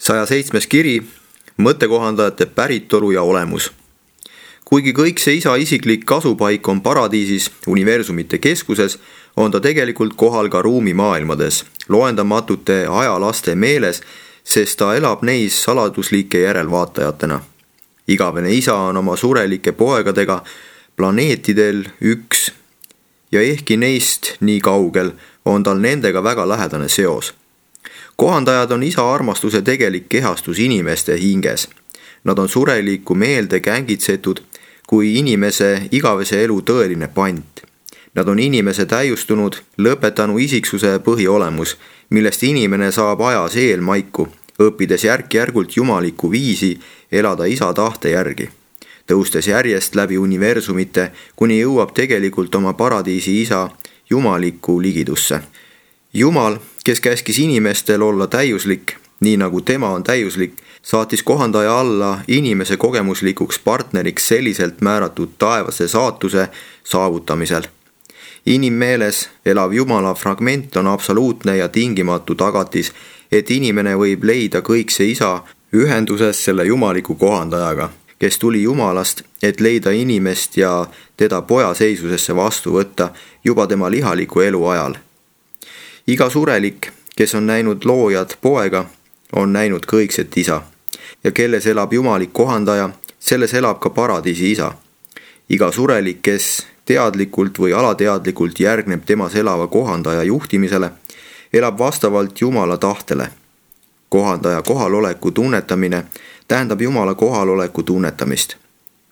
107. kiri, mõttekohandajate päritolu ja olemus. Kuigi kõik see isa isiklik kasupaik on paradiisis, universumite keskuses, on ta tegelikult kohal ka ruumimaailmades, loendamatute ajalaste meeles, sest ta elab neis saladuslike järelvaatajatena. Igavene isa on oma surelike poegadega planeetidel üks ja ehkki neist nii kaugel, on tal nendega väga lähedane seos. Kohandajad on isa armastuse tegelik kehastus inimeste hinges. Nad on surelikku meelde kängitsetud kui inimese igavese elu tõeline pant. Nad on inimese täiustunud, lõpetanu isiksuse põhiolemus, millest inimene saab ajas eelmaiku, õppides järk-järgult jumalikku viisi elada isa tahte järgi, tõustes järjest läbi universumite, kuni jõuab tegelikult oma paradiisi isa jumalikku ligidusse. Jumal, kes käskis inimestel olla täiuslik, nii nagu tema on täiuslik, saatis kohandaja alla inimese kogemuslikuks partneriks selliselt määratud taevase saatuse saavutamisel. Inimmeeles elav Jumala fragment on absoluutne ja tingimatu tagatis, et inimene võib leida kõikse isa ühenduses selle jumaliku kohandajaga, kes tuli Jumalast, et leida inimest ja teda poja seisusesse vastu võtta juba tema lihaliku elu ajal. Iga surelik, kes on näinud loojad poega, on näinud kõikset isa, ja kelles elab jumalik kohandaja, selles elab ka paradiisi isa. Iga surelik, kes teadlikult või alateadlikult järgneb temas elava kohandaja juhtimisele, elab vastavalt Jumala tahtele. Kohandaja kohaloleku tunnetamine tähendab Jumala kohaloleku tunnetamist.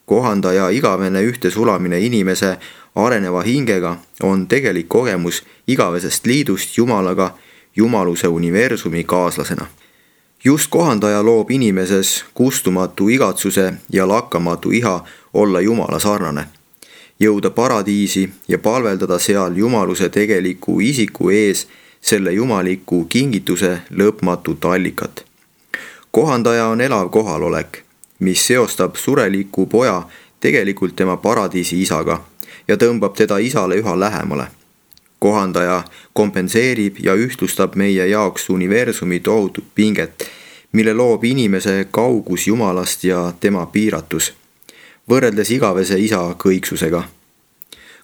Kohandaja igavene ühtesulamine inimese areneva hingega on tegelik kogemus igavesest liidust Jumalaga jumaluse universumi kaaslasena. Just kohandaja loob inimeses kustumatu igatsuse ja lakkamatu iha olla Jumala sarnane, jõuda paradiisi ja palveldada seal jumaluse tegeliku isiku ees selle jumaliku kingituse lõpmatut allikat. Kohandaja on elav kohalolek, mis seostab sureliku poja tegelikult tema paradiisi isaga ja tõmbab teda isale üha lähemale. Kohandaja kompenseerib ja ühtlustab meie jaoks universumi tohutut pinget, mille loob inimese kaugus Jumalast ja tema piiratus, võrreldes igavese isa kõiksusega.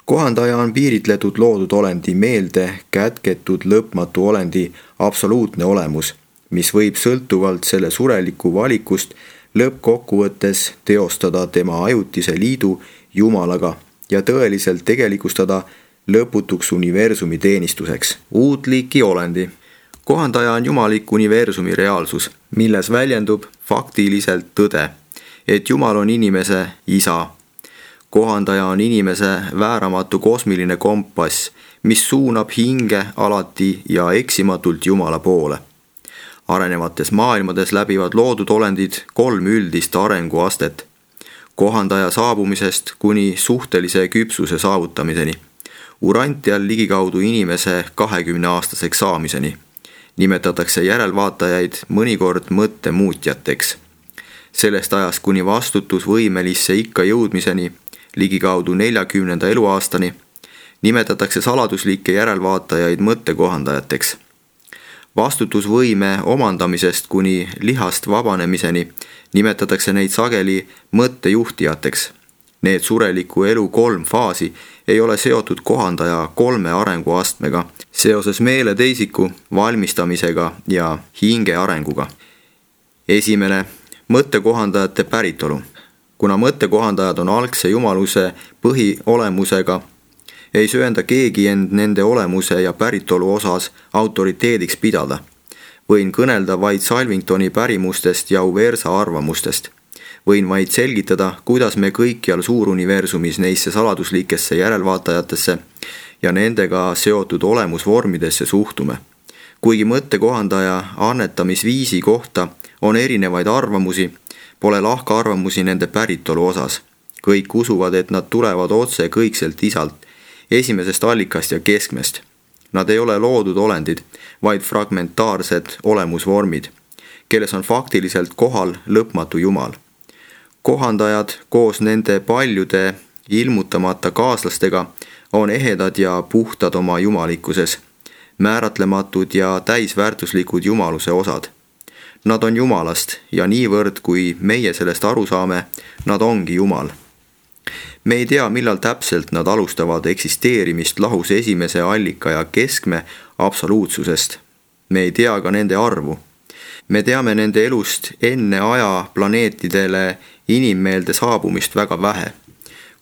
Kohandaja on piiritletud loodud olendi meelde kätketud lõpmatu olendi absoluutne olemus, mis võib sõltuvalt selle sureliku valikust lõppkokkuvõttes teostada tema ajutise liidu Jumalaga ja tõeliselt tegelikustada lõputuks universumi teenistuseks. Uut liiki olendi. Kohandaja on jumalik universumi reaalsus, milles väljendub faktiliselt tõde, et Jumal on inimese isa. Kohandaja on inimese vääramatu kosmiline kompass, mis suunab hinge alati ja eksimatult Jumala poole. Arenevates maailmades läbivad loodud olendid 3 üldist arenguastet, kohandaja saabumisest kuni suhtelise küpsuse saavutamiseni, urantial ligikaudu inimese 20-aastaseks saamiseni. Nimetatakse järelvaatajaid mõnikord mõttemuutjateks. Sellest ajast kuni vastutusvõimelisse ikka jõudmiseni, ligikaudu 40. eluaastani, nimetatakse saladuslikke järelvaatajaid mõttekohandajateks. Vastutusvõime omandamisest kuni lihast vabanemiseni nimetatakse neid sageli mõttejuhtijateks. Need sureliku elu 3 faasi ei ole seotud kohandaja 3 arenguastmega seoses meele teisiku valmistamisega ja hinge arenguga. Esimene, mõttekohandajate päritolu. Kuna mõttekohandajad on algse jumaluse põhiolemusega, ei söanda keegi end nende olemuse ja päritolu osas autoriteediks pidada. Võin kõnelda vaid Salvingtoni pärimustest ja Uversa arvamustest. Võin vaid selgitada, kuidas me kõikjal suuruniversumis neisse saladuslikesse järelvaatajatesse ja nendega seotud olemusvormidesse suhtume. Kuigi mõttekohandaja annetamisviisi kohta on erinevaid arvamusi, pole lahkarvamusi nende päritolu osas. Kõik usuvad, et nad tulevad otse kõikselt isalt, esimesest allikast ja keskmest. Nad ei ole loodud olendid, vaid fragmentaarsed olemusvormid, kelles on faktiliselt kohal lõpmatu Jumal. Kohandajad koos nende paljude ilmutamata kaaslastega on ehedad ja puhtad oma jumalikkuses, määratlematud ja täisväärtuslikud jumaluse osad. Nad on Jumalast ja niivõrd, kui meie sellest aru saame, nad ongi Jumal. Me ei tea, millal täpselt nad alustavad eksisteerimist lahus esimese allika ja keskme absoluutsusest. Me ei tea ka nende arvu. Me teame nende elust enne aja planeetidele inimmeelde saabumist väga vähe,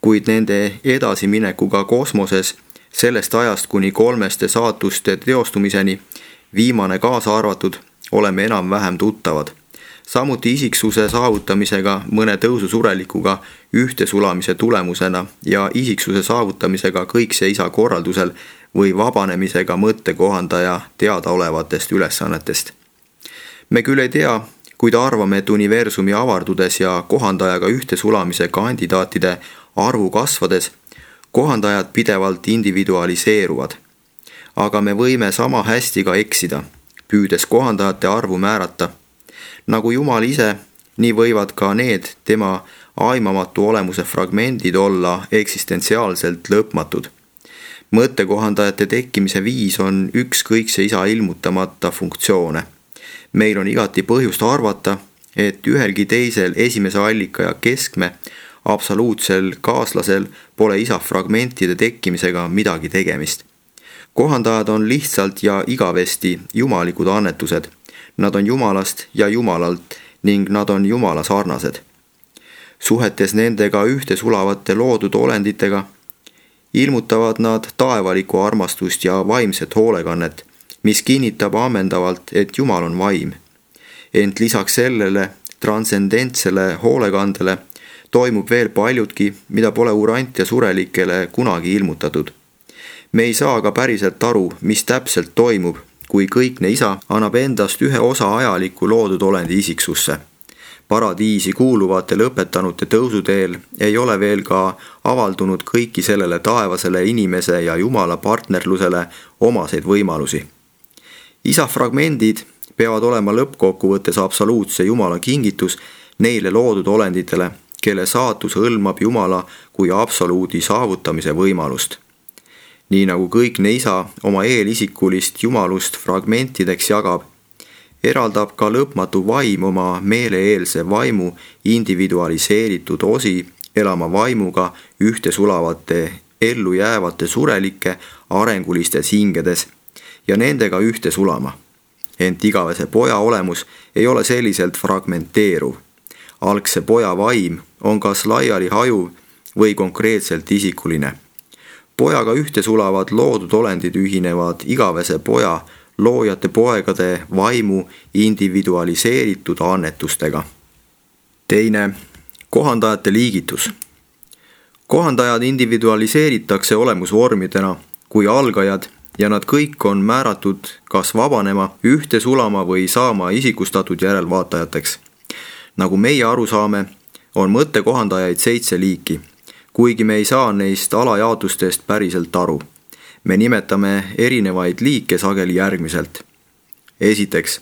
kuid nende edasiminekuga kosmoses sellest ajast kuni kolmeste saatuste teostumiseni, viimane kaasa arvatud, oleme enam-vähem tuttavad. Samuti isiksuse saavutamisega mõne tõususurelikuga ühtesulamise tulemusena ja isiksuse saavutamisega kõikse isa korraldusel või vabanemisega mõttekohandaja teadaolevatest ülesannetest. Me küll ei tea, kuid arvame, et universumi avardudes ja kohandajaga ühtesulamise kandidaatide arvu kasvades kohandajad pidevalt individualiseeruvad. Aga me võime sama hästi ka eksida, püüdes kohandajate arvu määrata. Nagu Jumal ise, nii võivad ka need tema aimamatu olemuse fragmendid olla eksistentsiaalselt lõpmatud. Mõttekohandajate tekkimise viis on ükskõikse isa ilmutamata funktsioone. Meil on igati põhjust arvata, et ühelgi teisel esimese allika ja keskme absoluutsel kaaslasel pole isa fragmentide tekkimisega midagi tegemist. Kohandajad on lihtsalt ja igavesti jumalikud annetused. Nad on Jumalast ja Jumalalt ning nad on Jumala sarnased. Suhetes nendega ühtesulavate loodud olenditega ilmutavad nad taevalikku armastust ja vaimset hoolekannet, mis kinnitab ammendavalt, et Jumal on vaim. Ent lisaks sellele transcendentsele hoolekandele toimub veel paljudki, mida pole urant ja surelikele kunagi ilmutatud. Me ei saa ka päriselt aru, mis täpselt toimub, kui kõikne isa annab endast ühe osa ajalikku loodud olendi isiksusse. Paradiisi kuuluvate lõpetanute tõusuteel ei ole veel ka avaldunud kõiki sellele taevasele inimese ja Jumala partnerlusele omaseid võimalusi. Isa fragmendid peavad olema lõppkokkuvõttes absoluutse Jumala kingitus neile loodud olenditele, kelle saatus hõlmab Jumala kui absoluudi saavutamise võimalust. Nii nagu kõikne isa oma eelisikulist jumalust fragmentideks jagab, eraldab ka lõpmatu vaim oma meeleeelse vaimu individualiseeritud osi elama vaimuga ühtesulavate ellu jäävate surelike arengulistes hingedes ja nendega ühte sulama. Ent igavese poja olemus ei ole selliselt fragmenteeruv. Algse poja vaim on kas laiali hajuv või konkreetselt isikuline. Pojaga ühte sulavad loodud olendid ühinevad igavese poja loojate poegade vaimu individualiseeritud annetustega. Teine, kohandajate liigitus. Kohandajad individualiseeritakse olemusvormidena kui algajad ja nad kõik on määratud kas vabanema, ühte sulama või saama isikustatud järelvaatajateks. Nagu meie aru saame, on mõttekohandajaid 7 liiki, kuigi me ei saa neist alajaotustest päriselt aru. Me nimetame erinevaid liike sageli järgmiselt. Esiteks,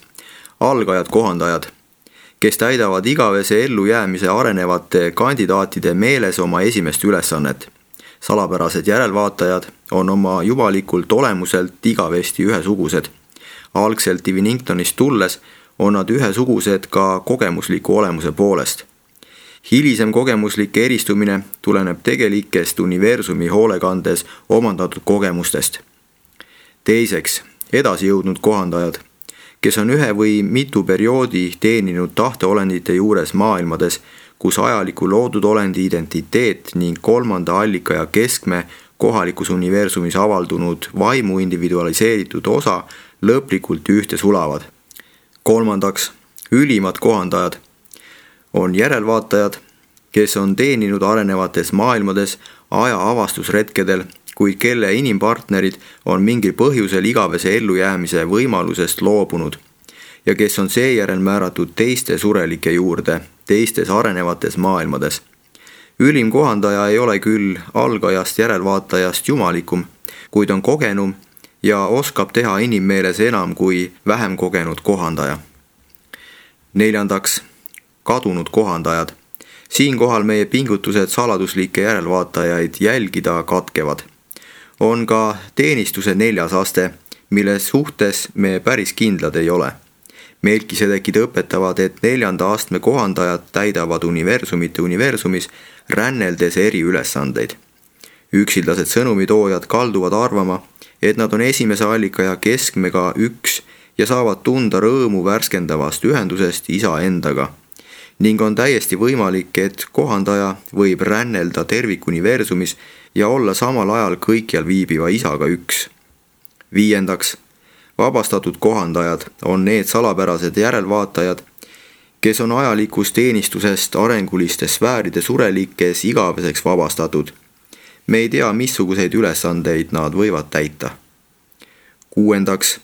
algajad kohandajad, kes täidavad igavese ellujäämise arenevate kandidaatide meeles oma esimest ülesannet. Salapärased järelvaatajad on oma jumalikult olemuselt igavesti ühesugused. Algselt Diviningtonist tulles on nad ühesugused ka kogemusliku olemuse poolest. Hilisem kogemuslik eristumine tuleneb tegelikest universumi hoolekandes omandatud kogemustest. Teiseks, edasijõudnud kohandajad, kes on ühe või mitu perioodi teeninud tahteolendite juures maailmades, kus ajaliku loodud olendi identiteet ning kolmanda allika ja keskme kohalikus universumis avaldunud vaimu individualiseeritud osa lõplikult ühte sulavad. Kolmandaks, ülimad kohandajad on järelvaatajad, kes on teeninud arenevates maailmades aja avastusretkedel, kuid kelle inimpartnerid on mingil põhjusel igavese ellujäämise võimalusest loobunud ja kes on seejärel määratud teiste surelike juurde teistes arenevates maailmades. Ülim kohandaja ei ole küll algajast järelvaatajast jumalikum, kuid on kogenum ja oskab teha inimmeeles enam kui vähem kogenud kohandaja. Neljandaks, kadunud kohandajad. Siinkohal meie pingutused saladuslikke järelvaatajaid jälgida katkevad. On ka teenistuse 4. aste, mille suhtes me päris kindlad ei ole. Melkisedekid õpetavad, et 4. astme kohandajad täidavad universumite universumis ränneldes eri ülesandeid. Üksildased sõnumitoojad kalduvad arvama, et nad on esimese allika ja keskmega üks ja saavad tunda rõõmu värskendavast ühendusest isa endaga. Ning on täiesti võimalik, et kohandaja võib rännelda tervikuniversumis ja olla samal ajal kõikjal viibiva isaga üks. 5. Vabastatud kohandajad on need salapärased järelvaatajad, kes on ajalikus teenistusest arenguliste sfääride surelikes igaveseks vabastatud. Me ei tea, missuguseid ülesandeid nad võivad täita. 6.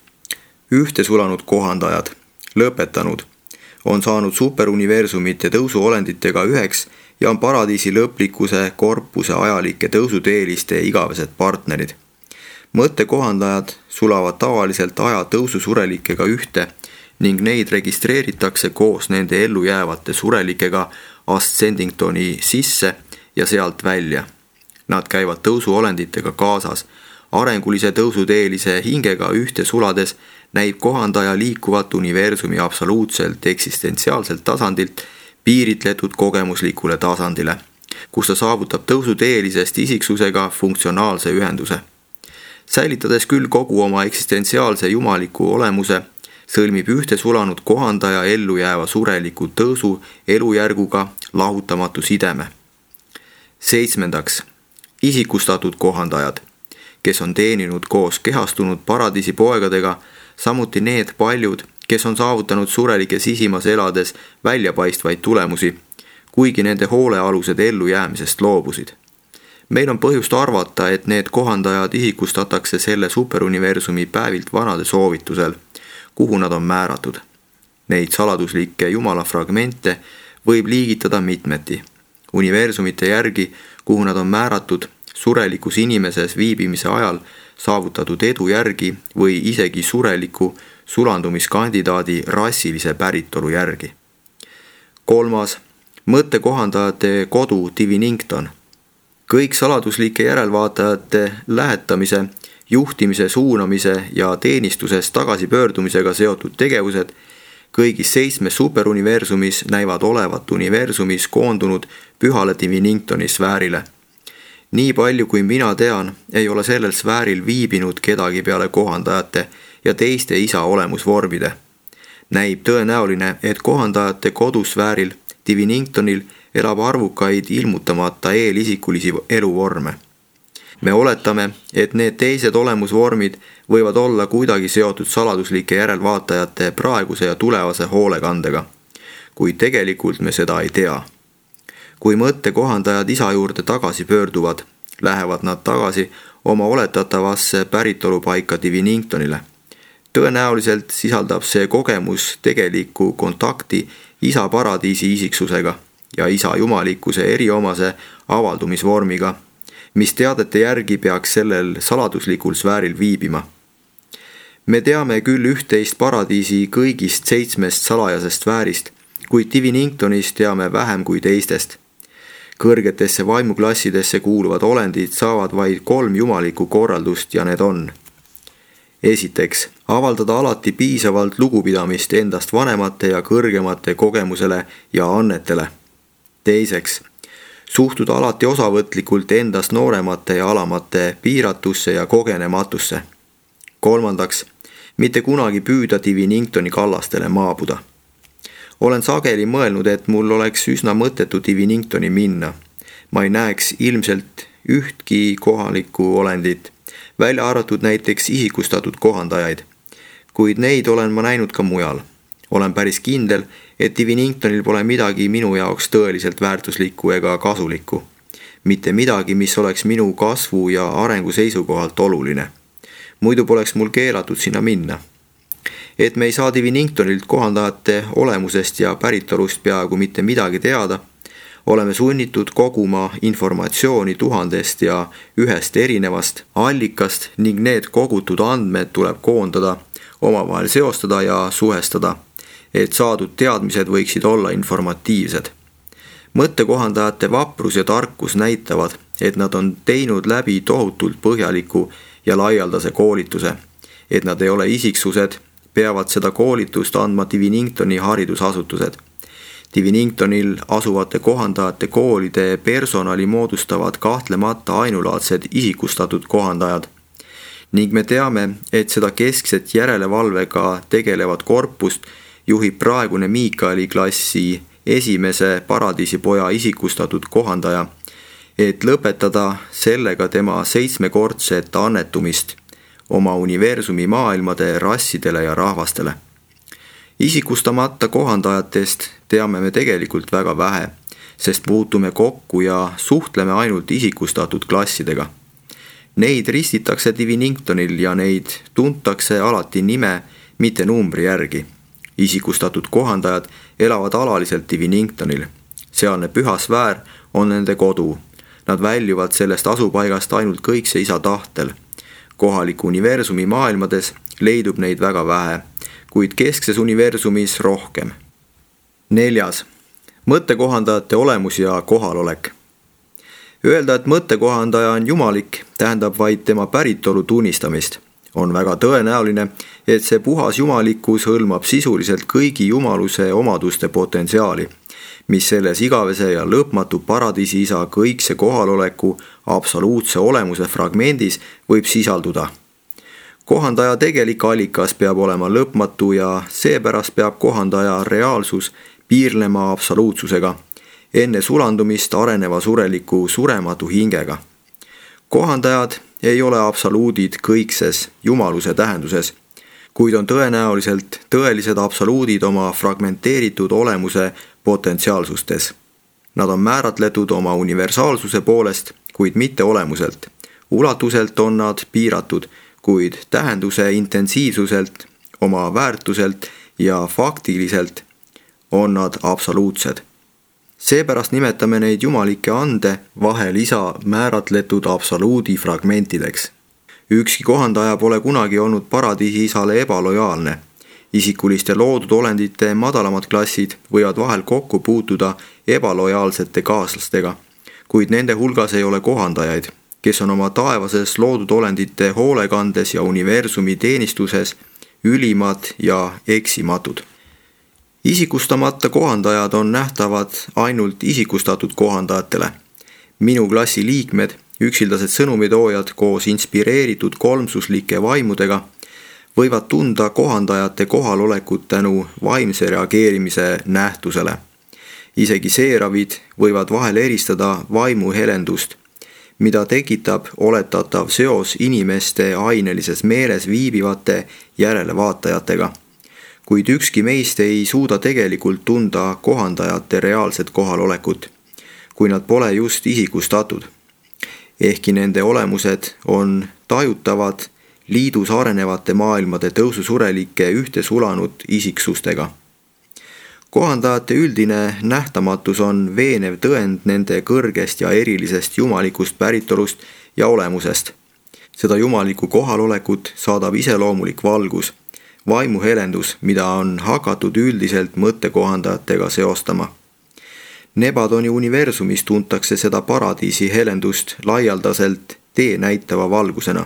Ühtesulanud kohandajad, lõpetanud, on saanud superuniversumite tõusuolenditega üheks ja on paradiisi lõplikkuse korpuse ajalike tõusuteeliste igavesed partnerid. Mõttekohandajad sulavad tavaliselt aja tõususurelikega ühte ning neid registreeritakse koos nende ellu jäävate surelikega Ascendingtoni sisse ja sealt välja. Nad käivad tõusuolenditega kaasas. Arengulise tõusuteelise hingega ühte sulades näib kohandaja liikuvat universumi absoluutselt eksistentsiaalselt tasandilt piiritletud kogemuslikule tasandile, kus ta saavutab tõusuteelisest isiksusega funktsionaalse ühenduse. Säilitades küll kogu oma eksistentsiaalse jumaliku olemuse, sõlmib ühte sulanud kohandaja ellu jääva sureliku tõusu elujärguga lahutamatu sideme. 7. Isikustatud kohandajad, kes on teeninud koos kehastunud paradiisi poegadega, samuti need paljud, kes on saavutanud surelike sisimas elades väljapaistvaid tulemusi, kuigi nende hoolealused ellujäämisest loobusid. Meil on põhjust arvata, et need kohandajad isikustatakse selle superuniversumi päevilt vanade soovitusel, kuhu nad on määratud. Neid saladuslikke jumala fragmente võib liigitada mitmeti. Universumite järgi, kuhu nad on määratud, surelikus inimeses viibimise ajal saavutatud edu järgi või isegi sureliku sulandumiskandidaadi rassilise päritolu järgi. 3. Mõttekohandajate kodu Divinington. Kõik saladuslike järelvaatajate lähetamise, juhtimise, suunamise ja teenistusest tagasipöördumisega seotud tegevused kõigis 7 superuniversumis näivad olevat universumis koondunud pühale Diviningtoni sfäärile. Nii palju kui mina tean, ei ole sellel sfääril viibinud kedagi peale kohandajate ja teiste isa olemusvormide. Näib tõenäoline, et kohandajate kodusfääril Diviningtonil elab arvukaid ilmutamata eelisikulisi eluvorme. Me oletame, et need teised olemusvormid võivad olla kuidagi seotud saladuslike järelvaatajate praeguse ja tulevase hoolekandega, kuid tegelikult me seda ei tea. Kui mõttekohandajad isa juurde tagasi pöörduvad, lähevad nad tagasi oma oletatavasse päritolupaika Diviningtonile. Tõenäoliselt sisaldab see kogemus tegelikku kontakti isa paradiisi isiksusega ja isa jumalikkuse eriomase avaldumisvormiga, mis teadete järgi peaks sellel saladuslikul sfääril viibima. Me teame küll üht-teist paradiisi kõigist 7 salajasest sfäärist, kuid Diviningtonis teame vähem kui teistest. Kõrgetesse vaimuklassidesse kuuluvad olendid saavad vaid 3 jumalikku korraldust ja need on: esiteks, avaldada alati piisavalt lugupidamist endast vanemate ja kõrgemate kogemusele ja annetele. Teiseks, suhtuda alati osavõtlikult endast nooremate ja alamate piiratusse ja kogenematusse. Kolmandaks, mitte kunagi püüda Diviningtoni kallastele maabuda. Olen sageli mõelnud, et mul oleks üsna mõttetu Diviningtoni minna. Ma ei näeks ilmselt ühtki kohalikku olendit, välja arvatud näiteks isikustatud kohandajaid, kuid neid olen ma näinud ka mujal. Olen päris kindel, et Diviningtonil pole midagi minu jaoks tõeliselt väärtuslikku ega kasulikku. Mitte midagi, mis oleks minu kasvu ja arengu seisukohalt oluline. Muidu poleks mul keelatud sinna minna. Et me ei saa Diviningtonilt kohandajate olemusest ja päritolust peaaegu mitte midagi teada, oleme sunnitud koguma informatsiooni 1000 ja 1 erinevast allikast ning need kogutud andmed tuleb koondada, omavahel seostada ja suhestada, et saadud teadmised võiksid olla informatiivsed. Mõttekohandajate vaprus ja tarkus näitavad, et nad on teinud läbi tohutult põhjaliku ja laialdase koolituse, et nad ei ole isiksused, peavad seda koolitust andma Diviningtoni haridusasutused. Diviningtonil asuvate kohandajate koolide personali moodustavad kahtlemata ainulaadsed isikustatud kohandajad. Ning me teame, et seda keskset järelevalvega tegelevat korpust juhib praegune Miikaeli klassi esimese paradiisipoja isikustatud kohandaja, et lõpetada sellega tema 7-kordset annetumist oma universumi maailmade rassidele ja rahvastele. Isikustamata kohandajatest teame me tegelikult väga vähe, sest puutume kokku ja suhtleme ainult isikustatud klassidega. Neid ristitakse Diviningtonil ja neid tuntakse alati nime, mitte numbri järgi. Isikustatud kohandajad elavad alaliselt Diviningtonil. Sealne püha sfäär on nende kodu. Nad väljuvad sellest asupaigast ainult kõikse isa tahtel. Kohaliku universumi maailmades leidub neid väga vähe, kuid keskses universumis rohkem. 4. Mõttekohandajate olemus ja kohalolek. Öelda, et mõttekohandaja on jumalik, tähendab vaid tema päritolu tunnistamist. On väga tõenäoline, et see puhas jumalikkus hõlmab sisuliselt kõigi jumaluse omaduste potentsiaali, mis selles igavese ja lõpmatu paradiisi isa kõikse kohaloleku absoluutse olemuse fragmendis võib sisalduda. Kohandaja tegelik allikas peab olema lõpmatu ja seepärast peab kohandaja reaalsus piirlema absoluutsusega, enne sulandumist areneva sureliku surematu hingega. Kohandajad ei ole absoluudid kõikses jumaluse tähenduses, kuid on tõenäoliselt tõelised absoluudid oma fragmenteeritud olemuse potentsiaalsustes. Nad on määratletud oma universaalsuse poolest, kuid mitte olemuselt. Ulatuselt on nad piiratud, kuid tähenduse intensiivsuselt, oma väärtuselt ja faktiliselt on nad absoluutsed. Seepärast nimetame neid jumalikke ande vahel isa määratletud absoluudi fragmentideks. Ükski kohandaja pole kunagi olnud paradiisi isale ebalojaalne. Isikuliste loodud olendite madalamad klassid võivad vahel kokku puutuda ebalojaalsete kaaslastega, kuid nende hulgas ei ole kohandajaid, kes on oma taevases loodud olendite hoolekandes ja universumi teenistuses ülimad ja eksimatud. Isikustamata kohandajad on nähtavad ainult isikustatud kohandajatele. Minu klassi liikmed, üksildased sõnumitoojad koos inspireeritud kolmsuslike vaimudega, võivad tunda kohandajate kohalolekut tänu vaimse reageerimise nähtusele. Isegi seeravid võivad vahel eristada vaimu helendust, mida tekitab oletatav seos inimeste ainelises meeles viibivate järelevaatajatega. Kuid ükski meist ei suuda tegelikult tunda kohandajate reaalset kohalolekut, kui nad pole just isikustatud. Ehkki nende olemused on tajutavad liidus arenevate maailmade tõususurelike ühte sulanud isiksustega. Kohandajate üldine nähtamatus on veenev tõend nende kõrgest ja erilisest jumalikust päritolust ja olemusest. Seda jumalikku kohalolekut saadab iseloomulik valgus, vaimuhelendus, mida on hakatud üldiselt mõttekohandajatega seostama. Nebadoni universumis tuntakse seda paradiisi helendust laialdaselt tee näitava valgusena.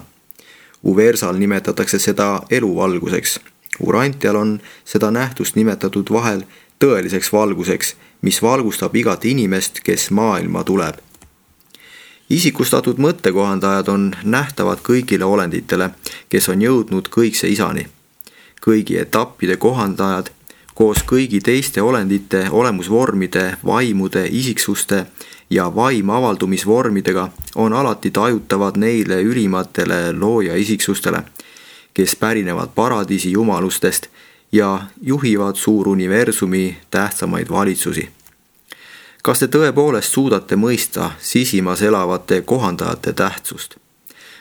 Uversal nimetatakse seda eluvalguseks. Urantial on seda nähtust nimetatud vahel tõeliseks valguseks, mis valgustab igat inimest, kes maailma tuleb. Isikustatud mõttekohandajad on nähtavad kõigile olenditele, kes on jõudnud kõikse isani. Kõigi etappide kohandajad koos kõigi teiste olendite olemusvormide, vaimude, isiksuste ja vaimavaldumisvormidega on alati tajutavad neile ülimatele looja isiksustele, kes pärinevad paradiisi jumalustest ja juhivad suuruniversumi tähtsamaid valitsusi. Kas te tõepoolest suudate mõista sisimas elavate kohandajate tähtsust?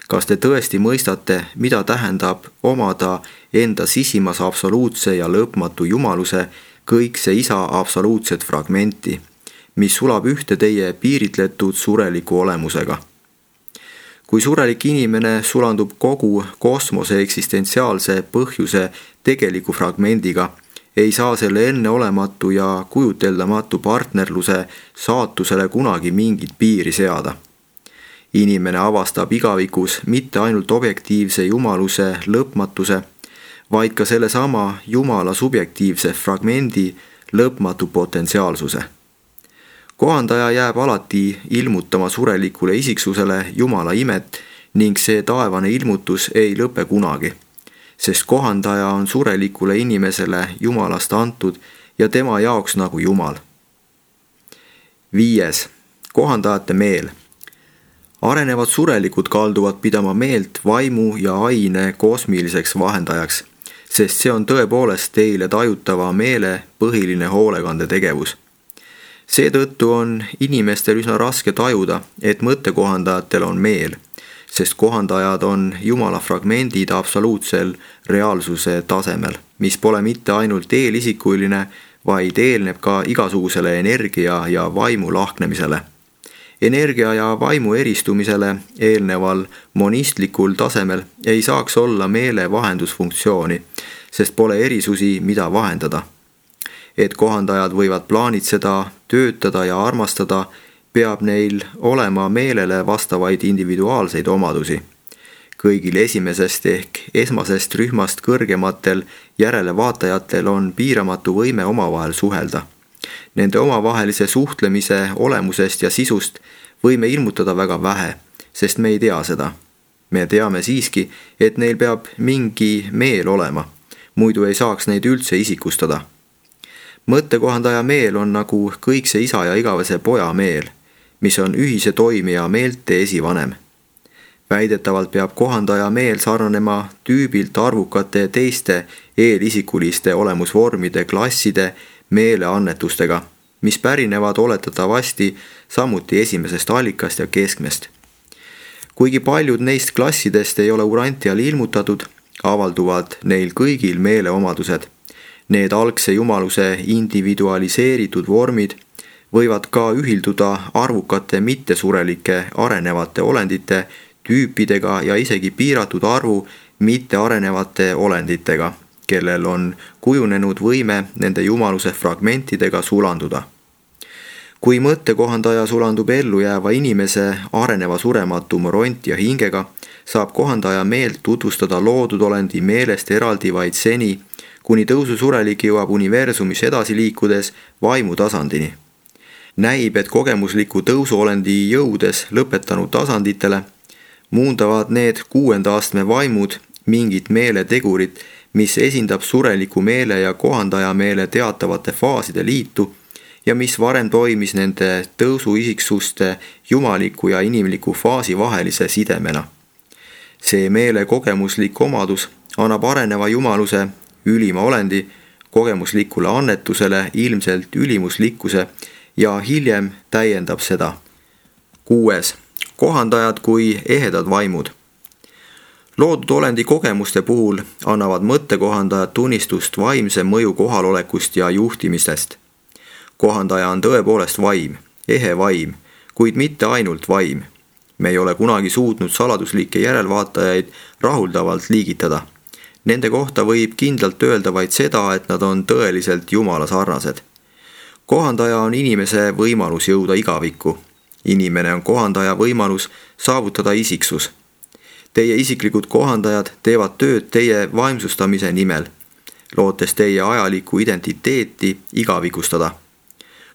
Kas te tõesti mõistate, mida tähendab omada enda sisimas absoluutse ja lõpmatu jumaluse kõikse isa absoluutset fragmenti, mis sulab ühte teie piiritletud sureliku olemusega? Kui surelik inimene sulandub kogu kosmose eksistentsiaalse põhjuse tegeliku fragmendiga, ei saa selle enneolematu ja kujuteldamatu partnerluse saatusele kunagi mingit piiri seada. Inimene avastab igavikus mitte ainult objektiivse jumaluse lõpmatuse, vaid ka sellesama Jumala subjektiivse fragmendi lõpmatu potentsiaalsuse. Kohandaja jääb alati ilmutama surelikule isiksusele Jumala imet ning see taevane ilmutus ei lõpe kunagi, sest kohandaja on surelikule inimesele Jumalast antud ja tema jaoks nagu Jumal. 5. Kohandajate meel. Arenevad surelikud kalduvad pidama meelt vaimu ja aine kosmiliseks vahendajaks, sest see on tõepoolest teile tajutava meele põhiline hoolekandetegevus. Seetõttu on inimestel üsna raske tajuda, et mõttekohandajatel on meel, sest kohandajad on Jumala fragmendid absoluutsel reaalsuse tasemel, mis pole mitte ainult eelisikuline, vaid eelneb ka igasugusele energia ja vaimu lahknemisele. Energia ja vaimu eristumisele eelneval monistlikul tasemel ei saaks olla meele vahendusfunktsiooni, sest pole erisusi, mida vahendada. Et kohandajad võivad plaanitseda, töötada ja armastada, peab neil olema meelele vastavaid individuaalseid omadusi. Kõigil esimesest ehk esmasest rühmast kõrgematel järelevaatajatel on piiramatu võime omavahel suhelda. Nende omavahelise suhtlemise olemusest ja sisust võime ilmutada väga vähe, sest me ei tea seda. Me teame siiski, et neil peab mingi meel olema, muidu ei saaks neid üldse isikustada. Mõttekohandaja meel on nagu kõikse isa ja igavese poja meel, mis on ühise toimija meelte esivanem. Väidetavalt peab kohandaja meel sarnanema tüübilt arvukate teiste eelisikuliste olemusvormide klasside meeleannetustega, mis pärinevad oletatavasti samuti esimesest allikast ja keskmest. Kuigi paljud neist klassidest ei ole Urantial ilmutatud, avalduvad neil kõigil meeleomadused. Need algse jumaluse individualiseeritud vormid võivad ka ühilduda arvukate mittesurelike arenevate olendite tüüpidega ja isegi piiratud arvu mittearenevate olenditega, kellel on kujunenud võime nende jumaluse fragmentidega sulanduda. Kui mõttekohandaja sulandub ellu jääva inimese areneva surematu moront ja hingega, saab kohandaja meelt tutvustada loodud olendi meelest eraldi vaid seni, kuni tõususurelik jõuab universumis edasi liikudes vaimu tasandini. Näib, et kogemusliku tõusuolendi jõudes lõpetanud tasanditele muundavad need 6. astme vaimud mingit meeletegurit, mis esindab sureliku meele ja kohandaja meele teatavate faaside liitu ja mis varem toimis nende tõusuisiksuste jumaliku ja inimliku faasi vahelise sidemena. See meele kogemuslik omadus annab areneva jumaluse ülima olendi kogemuslikule annetusele ilmselt ülimuslikkuse ja hiljem täiendab seda. 6. Kohandajad kui ehedad vaimud. Loodud olendi kogemuste puhul annavad mõttekohandajad tunnistust vaimse mõju kohalolekust ja juhtimistest. Kohandaja on tõepoolest vaim, ehe vaim, kuid mitte ainult vaim. Me ei ole kunagi suutnud saladuslikke järelvaatajaid rahuldavalt liigitada. Nende kohta võib kindlalt öelda vaid seda, et nad on tõeliselt Jumala sarnased. Kohandaja on inimese võimalus jõuda igavikku. Inimene on kohandaja võimalus saavutada isiksus. Teie isiklikud kohandajad teevad tööd teie vaimsustamise nimel, lootes teie ajalikku identiteeti igavikustada.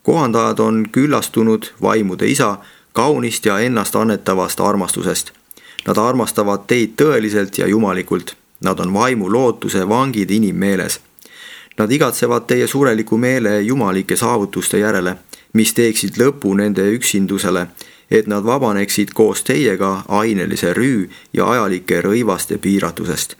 Kohandajad on küllastunud vaimude isa kaunist ja ennast annetavast armastusest. Nad armastavad teid tõeliselt ja jumalikult. Nad on vaimu lootuse vangid inimmeeles. Nad igatsevad teie sureliku meele jumalike saavutuste järele, mis teeksid lõpu nende üksindusele, et nad vabaneksid koos teiega ainelise rüü ja ajalike rõivaste piiratusest.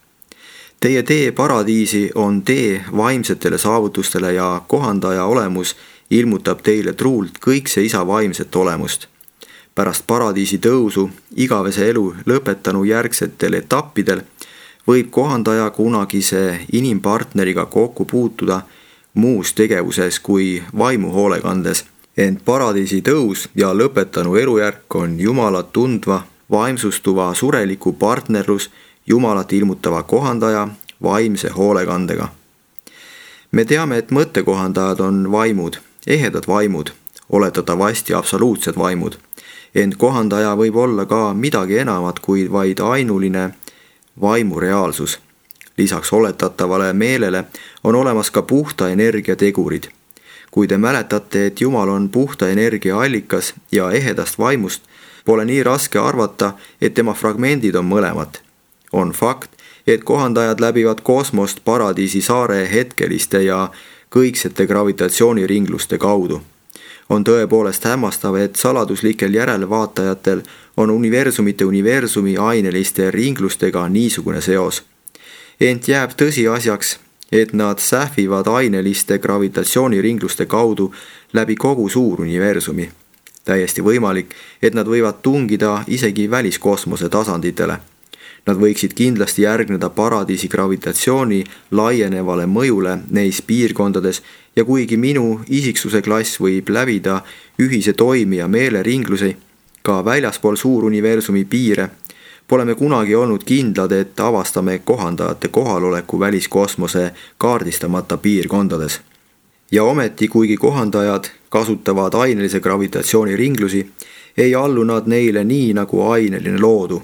Teie tee paradiisi on tee vaimsetele saavutustele ja kohandaja olemus ilmutab teile truult kõikse isa vaimset olemust. Pärast paradiisi tõusu igavese elu lõpetanu järgsetel etappidel võib kohandaja kunagise inimpartneriga kokku puutuda muus tegevuses kui vaimu hoolekandes, ent paradiisi tõus ja lõpetanu elujärk on Jumalat tundva, vaimsustuva sureliku partnerlus Jumalat ilmutava kohandaja vaimse hoolekandega. Me teame, et mõttekohandajad on vaimud, ehedad vaimud, oletatavasti absoluutsed vaimud, ent kohandaja võib olla ka midagi enamat kui vaid ainuline vaimu reaalsus. Lisaks oletatavale meelele on olemas ka puhta energia tegurid. Kui te mäletate, et Jumal on puhta energia allikas ja ehedast vaimust, pole nii raske arvata, et tema fragmendid on mõlemad. On fakt, et kohandajad läbivad kosmost paradiisi saare hetkeliste ja kõiksete gravitatsiooniringluste kaudu. On tõepoolest hämmastav, et saladuslikel järelevaatajatel on universumite universumi aineliste ringlustega niisugune seos. Ent jääb tõsiasjaks, et nad sähvivad aineliste gravitatsiooniringluste kaudu läbi kogu suur universumi. Täiesti võimalik, et nad võivad tungida isegi väliskosmose tasanditele. Nad võiksid kindlasti järgneda paradiisi gravitatsiooni laienevale mõjule neis piirkondades ja kuigi minu isiksuse klass võib läbida ühise toimija meeleringlusi ka väljaspool suuruniversumi piire, pole me kunagi olnud kindlad, et avastame kohandajate kohaloleku väliskosmose kaardistamata piirkondades. Ja ometi, kuigi kohandajad kasutavad ainelise gravitatsiooni ringlusi, ei allu nad neile nii nagu aineline loodu.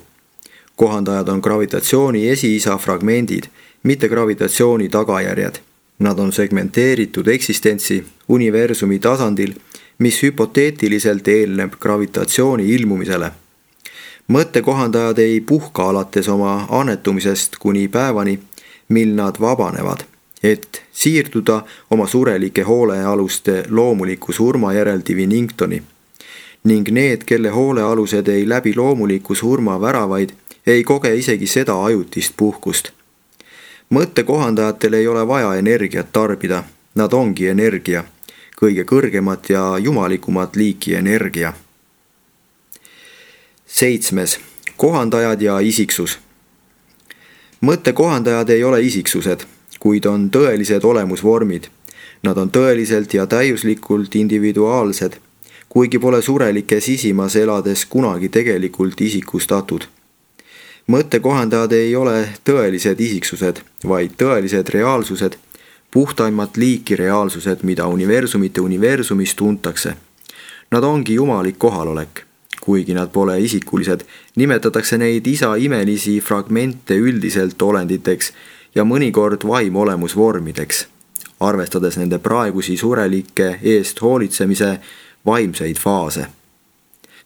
Kohandajad on gravitatsiooni esiisa fragmendid, mitte gravitatsiooni tagajärjed. Nad on segmenteeritud eksistentsi universumi tasandil, mis hüpoteetiliselt eelneb gravitatsiooni ilmumisele. Mõttekohandajad ei puhka alates oma annetumisest kuni päevani, mil nad vabanevad, et siirduda oma surelike hoolealuste loomuliku surma järel diviningtoni. Ning need, kelle hoolealused ei läbi loomuliku surma väravaid, ei koge isegi seda ajutist puhkust. Mõttekohandajatel ei ole vaja energiat tarbida, nad ongi energia, kõige kõrgemat ja jumalikumat liiki energia. 7. Kohandajad ja isiksus. Mõttekohandajad ei ole isiksused, kuid on tõelised olemusvormid. Nad on tõeliselt ja täiuslikult individuaalsed, kuigi pole surelike sisimas elades kunagi tegelikult isikustatud. Mõttekohandajad ei ole tõelised isiksused, vaid tõelised reaalsused, puhtaimat liiki reaalsused, mida universumite universumis tuntakse. Nad ongi jumalik kohalolek. Kuigi nad pole isikulised, nimetatakse neid isa imelisi fragmente üldiselt olenditeks ja mõnikord vaimolemusvormideks, arvestades nende praegusi surelike eest hoolitsemise vaimseid faase.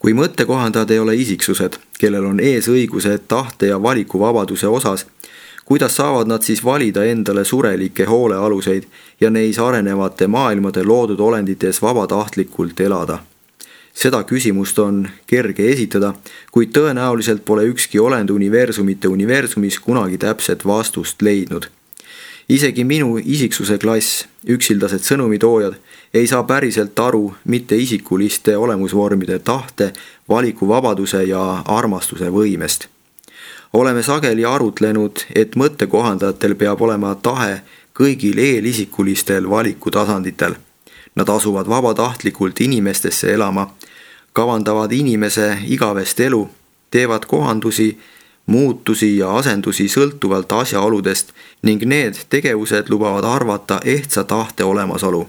Kui mõttekohandajad ei ole isiksused, kellel on eesõigused tahte ja valikuvabaduse osas, kuidas saavad nad siis valida endale surelikke hoolealuseid ja neis arenevate maailmade loodud olendites vabatahtlikult elada? Seda küsimust on kerge esitada, kuid tõenäoliselt pole ükski olend universumite universumis kunagi täpset vastust leidnud. Isegi minu isiksuse klass, üksildased sõnumitoojad, ei saa päriselt aru mitte isikuliste olemusvormide tahte, valikuvabaduse ja armastuse võimest. Oleme sageli arutlenud, et mõttekohandajatel peab olema tahe kõigil eelisikulistel valikutasanditel. Nad asuvad vabatahtlikult inimestesse elama, kavandavad inimese igavest elu, teevad kohandusi, muutusi ja asendusi sõltuvalt asjaoludest ning need tegevused lubavad arvata ehtsa tahte olemasolu.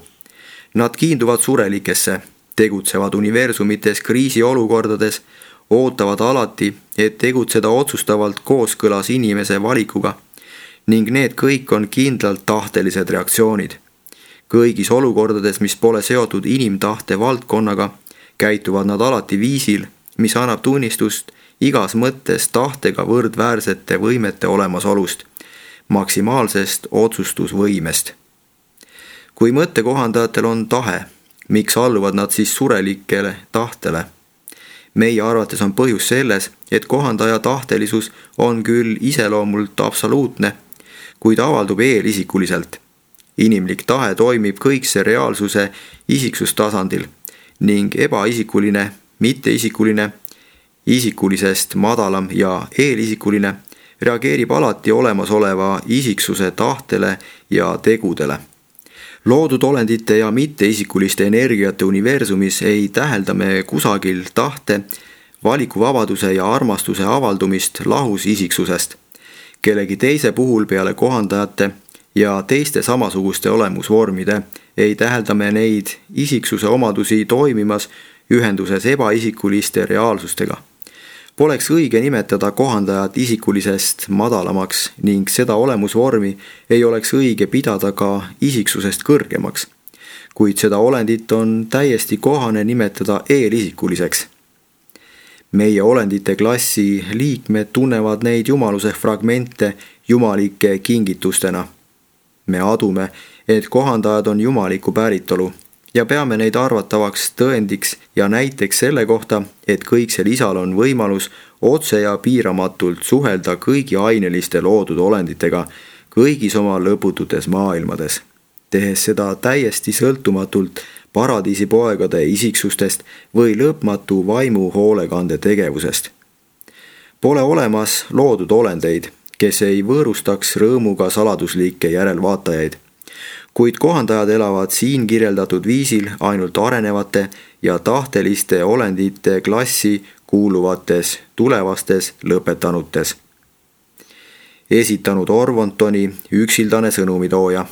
Nad kiinduvad surelikesse, tegutsevad universumites kriisiolukordades, ootavad alati, et tegutseda otsustavalt kooskõlas inimese valikuga ning need kõik on kindlalt tahtelised reaktsioonid. Kõigis olukordades, mis pole seotud inimtahte valdkonnaga, käituvad nad alati viisil, mis annab tunnistust igas mõttes tahtega võrdväärsete võimete olemasolust, maksimaalsest otsustusvõimest. Kui mõttekohandajatel on tahe, miks alluvad nad siis surelikele tahtele? Meie arvates on põhjus selles, et kohandaja tahtelisus on küll iseloomult absoluutne, kuid avaldub eelisikuliselt. Inimlik tahe toimib kõikse reaalsuse isiksustasandil ning ebaisikuline, mitteisikuline, isikulisest madalam ja eelisikuline reageerib alati olemasoleva isiksuse tahtele ja tegudele. Loodud olendite ja mitteisikuliste energiate universumis ei tähelda me kusagil tahte, valikuvabaduse ja armastuse avaldumist lahus isiksusest. Kellegi teise puhul peale kohandajate ja teiste samasuguste olemusvormide ei tähelda me neid isiksuse omadusi toimimas ühenduses ebaisikuliste reaalsustega. Poleks õige nimetada kohandajat isikulisest madalamaks ning seda olemusvormi ei oleks õige pidada ka isiksusest kõrgemaks, kuid seda olendit on täiesti kohane nimetada eelisikuliseks. Meie olendite klassi liikmed tunnevad neid jumaluse fragmente jumalike kingitustena. Me adume, et kohandajad on jumaliku päritolu ja peame neid arvatavaks tõendiks ja näiteks selle kohta, et kõiksel isal on võimalus otse ja piiramatult suhelda kõigi aineliste loodud olenditega kõigis oma lõpututes maailmades, tehes seda täiesti sõltumatult paradiisipoegade isiksustest või lõpmatu vaimu hoolekande tegevusest. Pole olemas loodud olendeid, kes ei võõrustaks rõõmuga saladuslikke järelvaatajaid, kuid kohandajad elavad siin kirjeldatud viisil ainult arenevate ja tahteliste olendite klassi kuuluvates tulevastes lõpetanutes. Esitanud Orvontoni üksildane sõnumitooja.